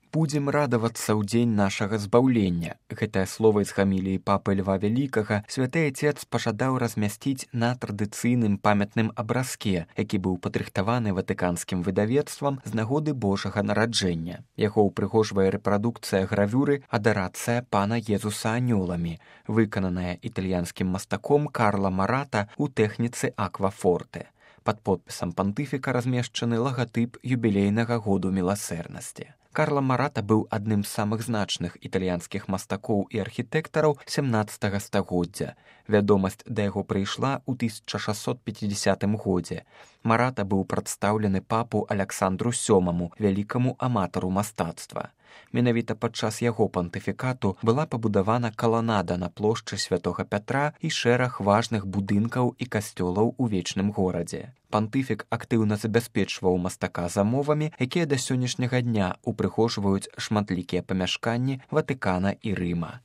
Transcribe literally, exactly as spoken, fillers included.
Будзем радавацца ў дзень нашага збаўлення. Гэтае слова з гаміліі папы Льва Вялікага святы Отец пажадаў размясціць на традыцыйным памятным абразке, які быў падрыхтаваны ватыканскім выдавецтвам з нагоды Божага нараджэння. Яго ўпрыгожвае рэпрадукцыя гравюры «Адарацыя пана Езуса анёламі», выкананая італьянскім мастаком Карла Марата ў тэхніцы аквафорте. Пад подпісам пантыфіка размешчаны лагатып юбілейнага году міласэрнасці. Карла Марата быў адным з самых значных італьянскіх мастакоў і архітэктараў сямнаццатага стагоддзя. Вядомасць да яго прыйшла ў тысяча шасцьсот пяцідзясятым годзе. Марата быў прадстаўлены папу Аляксандру сёмаму, вялікаму аматару мастацтва. Менавіта падчас яго пантыфікату была пабудавана каланада на плошчы Святога Пятра і шэраг важных будынкаў і касцёлаў у вечным горадзе. Пантыфік актыўна забяспечваў мастака замовамі, якія да сённяшняга дня упрыгожваюць шматлікія памяшканні Ватыкана і Рыма.